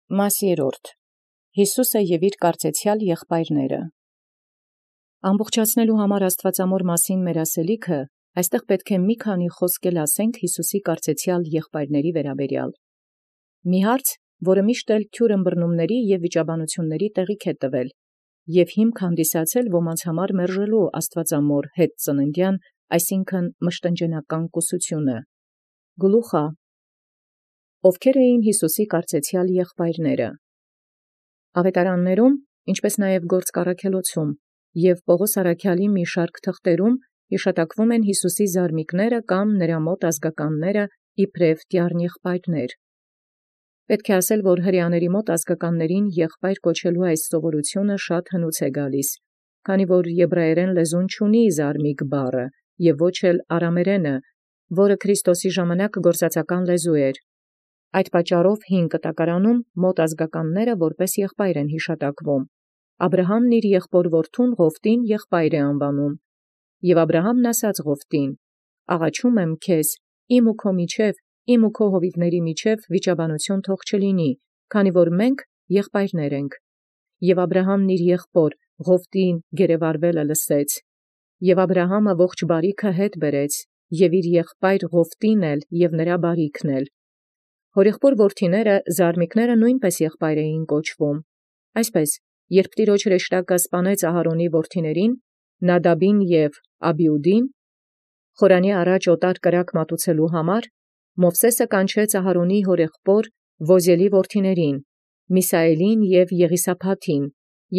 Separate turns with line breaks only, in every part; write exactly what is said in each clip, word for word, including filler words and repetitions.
Մասսիրորդ Յիսուսը և իր կարծեցեալ եղբայրները։ Ամբողջացնելու համար Աստուծամոր մասին մեր ասելիքը, այստեղ պետք է մի քանի խոսք ասենք Յիսուսի կարծեցեալ եղբայրների վերաբերյալ։ Մի հարց, որը միշտ էլ թյուր ըմբռնումների և վիճաբանությունների տեղիք է տվել, և հիմք հանդիսացել ոմանց համար մերժելու Աստուծամոր հետ ծննդյան, այսինքն մշտնջենական կուսությունը։ Գլուխա. Ովքեր էին Յիսուսի կարծեցեալ եղբայրները։ Ավետարաններում, ինչպես նաև Գործք Առաքելոցում և Պողոս առաքյալի մի շարք թղթերում հիշատակվում են Յիսուսի զարմիկները կամ նրա մոտ ազգականները իբրև տյառն եղբայրներ։ Պետք է ասել, որ հրեաների մոտ ազգականներին եղբայր կոչելու այս սովորությունը շատ հնուց է գալիս, քանի որ եբրայերեն լեզուն չունի զարմիկ բառը և ոչ էլ արամերենը, որը Քրիստոսի ժամանակ գործածական լեզու էր։ Այդ պատճառով հին կտակարանում մոտ ազգականները որպես եղբայր են հիշատակվում։ Աբրահամն իր եղբոր որդուն Ղովտին եղբայր է անվանում, և Աբրահամն ասաց Ղովտին. «Աղաչում եմ քեզ, իմ ու քո միջև, իմ ու քո հովիվների միջև վիճաբանություն թող չլինի, քանի որ մենք եղբայրներ ենք։ Եւ Աբրահամն իր եղբոր Ղովտին գերեվարվելը լսեց, և Աբրահամը ողջ բարիքը հետ բերեց, և իր եղբայր Ղովտին էլ և նրա բարիքն էլ։ Հորեղբոր որդիները զարմիկները նույնպես եղբայր էին կոչվում։ Այսպես, երբ Տիրոջ հրեշտակը սպանեց Ահարոնի որդիներին, Նադաբին և Աբիուդին, խորանի առաջ օտար կրակ մատուցելու համար, Մովսէսը կանչեց Ահարոնի հորեղբոր Ոզիելի որդիներին, Միսայելին և Եղիսաբաթին,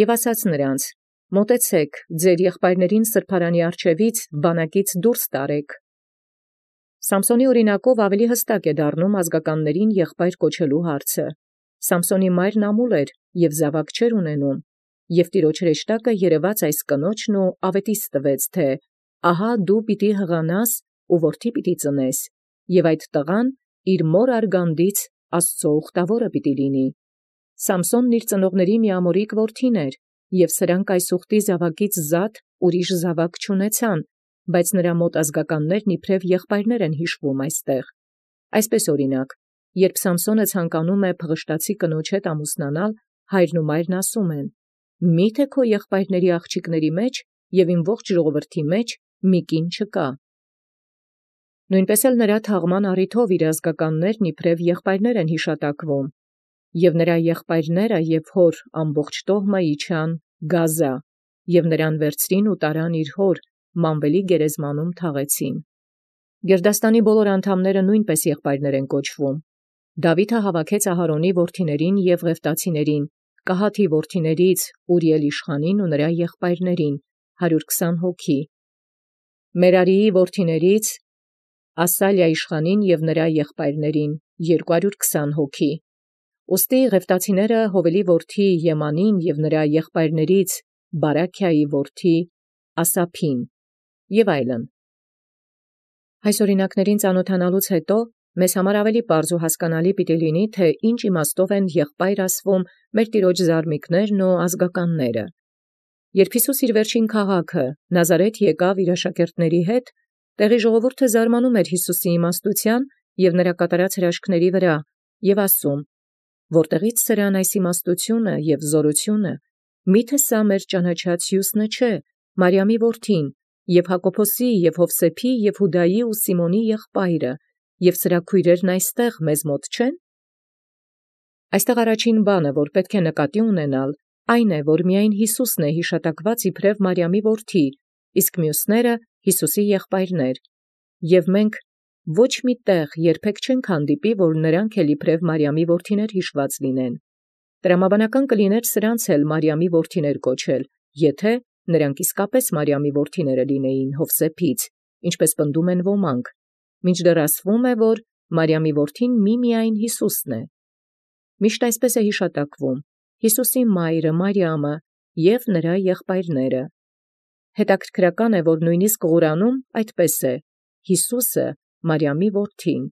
և ասաց նրանց. «Մոտեցեք, ձեր եղբայրներին սրբարանի առջևից բանակից դուրս տարեք»։ Սամսոնի օրինակով ավելի հստակ է դառնում ազգականներին եղբայր կոչելու հարցը։ Սամսոնի մայրն ամուլ էր և զաւակ չէր ունենում, և Տիրոջ հրեշտակը երևաց այս կնոջն ու աւետիս տվեց, թէ «Ահա դու պիտի հղանաս ու որդի պիտի ծնես, և այդ տղան իր մոր արգանդից Աստուծոյ ուխտավորը պիտի լինի»։ Սամսոնն իր ծնողների միամորիկ որդին էր, և սրանք այս ուխտի զաւակից զատ ուրիշ զաւակ չունեցան, բայց նրա մոտ ազգականներն իբրև եղբայրներ են հիշվում այստեղ։ Այսպես օրինակ, երբ Սամսոնը ցանկանում է փղշտացի կնոջ հետ ամուսնանալ, հայրն ու մայրն ասում են. «Մի՞թե քո եղբայրների աղջիկների մեջ և իմ ողջ ժողովրդի մեջ մի կին չկա»։ Նույնպես էլ նրա թաղման առիթով իր ազգականներն իբրև եղբայրներ են հիշատակվում, և նրա եղբայրները և հոր ամբողջ տոհմը իջան Գազա, և նրան վերցրին ու տարան իր հոր Մանվելի գերեզմանում թաղեցին։ Գերդաստանի բոլոր անդամները նույնպես եղբայրներ են կոչվում։ Դաւիթը հավաքեց Ահարոնի որդիներին և Ղևտացիներին, Կահաթի որդիներից Ուրիել իշխանին ու նրա եղբայրներին, հարյուր քսան հոգի, Մերարիի որդիներից Ասալիա իշխանին և նրա եղբայրներին, երկուհարյուր քսան հոգի։ Ուստի Ղևտացիները Հովելի որդի Եմանին և նրա եղբայրներից Բարաքիայի որդի Ասափին և այլն։ Այս օրինակներին ծանոթանալուց հետո մեզ համար ավելի պարզ ու հասկանալի պիտի լինի, թե ինչ իմաստով են եղբայր ասվում մեր Տիրոջ զարմիկներն ու ազգականները։ Երբ Յիսուս իր վերջին քաղաքը Նազարեթ եկավ իր աշակերտների հետ, տեղի ժողովուրդը զարմանում էր Յիսուսի իմաստութեան և նրա կատարած հրաշքների վրա, և ասում. «Որտեղի՞ց սրան այս իմաստությունը և զորությունը, միթե սա մեր ճանաչած հիւսնը չէ, Մարիամի որդին, և Հակոբոսի և Յովսեփի և Յուդայի ու Սիմոնի եղբայրը, և սրա քույրերն այստեղ մեզ մոտ չեն»։ Այստեղ առաջին բանը, որ պետք է նկատի ունենալ, այն է, որ միայն Յիսուսն է հիշատակված իբրև Մարիամի որդի, իսկ մյուսները Յիսուսի եղբայրներ, և մենք ոչ մի տեղ երբեք չենք հանդիպի, որ նրանք էլ իբրև Մարիամի որդիներ հիշված լինեն։ Տրամաբանական կլիներ սրանց էլ Մարիամի որդիներ կոչել, եթե նրանք իսկապես Մարիամի որդիները լինեին Յովսեփից, ինչպես պնդում են ոմանք, մինչդեռ ասվում է, որ Մարիամի որդին միմիայն Յիսուսն է։ Միշտ այսպես է հիշատակվում. Յիսուսի մայրը Մարիամը և նրա եղբայրները։ Հետաքրքրական է, որ նույնիսկ Ղուրանում այդպես է. Յիսուսը Մարիամի որդին։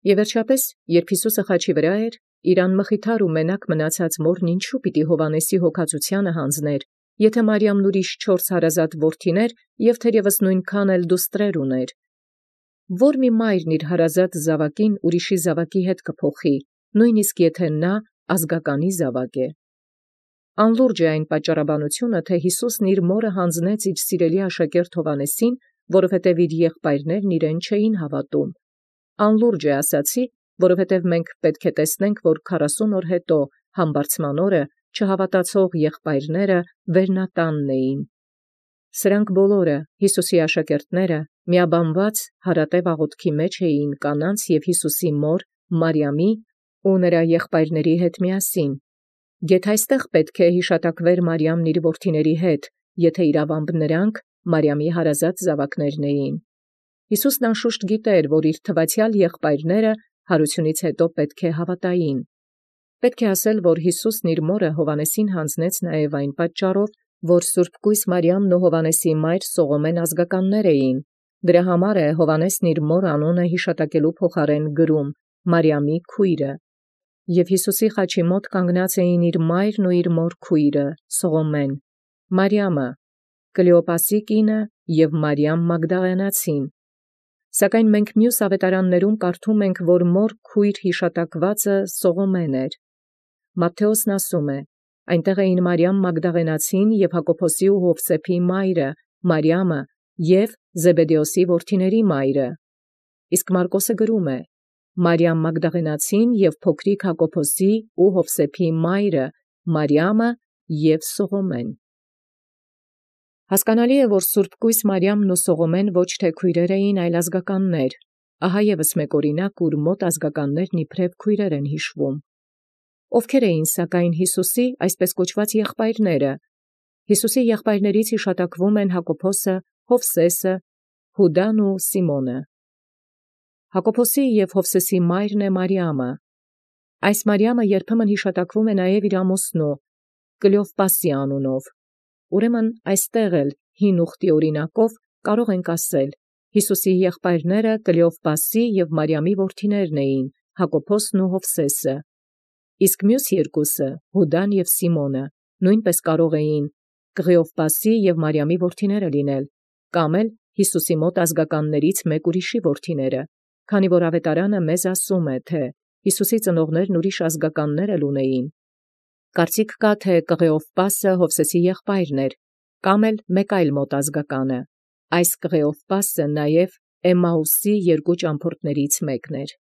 Եվ վերջապես, երբ Յիսուսը խաչի վրա էր, իր անմխիթար ու մենակ մնացած մորն ինչու պիտի Հովհաննեսի հոգածությանը հանձներ, եթե Մարիամն ուրիշ չորս հարազատ որդիներ և թերևս նույնքան էլ դուստրեր ուներ։ Ո՞ր մի մայրն իր հարազատ զաւակին ուրիշի զաւակի հետ կփոխի, նույնիսկ եթե նա ազգականի զաւակ է։ Անլուրջ է այն պատճառաբանությունը, թէ Յիսուսն իր մորը յանձնեց իր սիրելի աշակերտ Հովհաննեսին, որովհետև իր եղբայրներն իրեն չէին հաւատում։ Անլուրջ է ասացի, որովհետև մենք պետք է տեսնենք, որ քառասուն օր հետո համբարձման օրը չհավատացող եղբայրները վերնատանն էին։ Սրանք բոլորը Յիսուսի աշակերտները միաբանված հարատև աղոթքի մեջ էին կանանց և Յիսուսի մոր Մարիամի ու նրա եղբայրների հետ միասին։ Գեթ այստեղ պետք է հիշատակվեր Մարիամն իր որդիների հետ, եթե իրավամբ նրանք Մարիամի հարազատ զաւակներն էին։ Յիսուսն անշուշտ գիտեր, որ իր թվացյալ եղբայրները հարությունից հետո պետք է հավատային։ Պետք է ասել, որ Յիսուսն իր մորը Հովհաննեսին յանձնեց նաև այն պատճառով, որ Սուրբ Կույս Մարիամն ու Հովհաննեսի մայր Սողոմեն ազգականներ էին։ Դրա համար է Հովհաննեսն իր մոր անունը հիշատակելու փոխարեն գրում Մարիամի քույրը։ Եվ Յիսուսի խաչի մոտ կանգնած էին իր մայրն ու իր մոր քույրը Սողոմեն, Մարիամը, Կլեոպասի կինը և Մարիամ Մագդաղենացին։ Սակայն մենք մյուս ավետարաններում կարդում ենք, որ մոր քույր հիշատակվածը Սողոմեն էր։ Մատթեոսն ասում է. այնտեղ էին Մարիամ Մագդաղենացին և Հակոբոսի ու Յովսեփի մայրը, Մարիամը և Զեբեդեոսի որդիների մայրը։ Իսկ Մարկոսը գրում է. Մարիամ Մագդաղենացին և փոքրիկ Հակոբոսի ու Յովսեփի մայրը, Մարիամը և Սողոմեն։ Հասկանալի է, որ Սուրբ Կույս Մարիամն ու Սողոմեն ոչ թե քույրեր էին, այլ ազգականներ։ Ահա ևս մեկ օրինակ, ուր մոտ ազգականներն իբրև քույրեր են հիշվում։ Ովքեր էին սակայն Յիսուսի այսպես կոչված եղբայրները։ Յիսուսի եղբայրներից հիշատակվում են Հակոբոսը, Յովսեսը, Յուդան ու Սիմոնը։ Հակոբոսի և Յովսեսի մայրն է Մարիամը։ Այս Մարիամը երբեմն հիշատակվում է նաև իր ամուսնու Կլեովպասի անունով։ Ուրեմն այստեղ էլ հին ուխտի օրինակով կարող ենք ասել. Յիսուսի եղբայրները Կլեովպասի և Մարիամի որդիներն էին, Հակոբոսն ու Յովսեսը։ Իսկ մյուս երկուսը, Յուդան և Սիմոնը, նույնպես կարող էին Կղեովպասի և Մարիամի որդիները լինել, կամ էլ Յիսուսի մոտ ազգականներից մեկ ուրիշի որդիները, քանի որ ավետարանը մեզ ասում է, թե Յիսուսի ծնողներն ուրիշ ազգականներ էլ ունեին։ Կարծիք կա, թե Կղեովպասը Յովսեսի եղբայրն էր, կամ էլ մեկ այլ մոտ ազգականը։ Այս Կղեովպասը նաև Էմմաուսի երկու ճամփորդներից մեկն էր։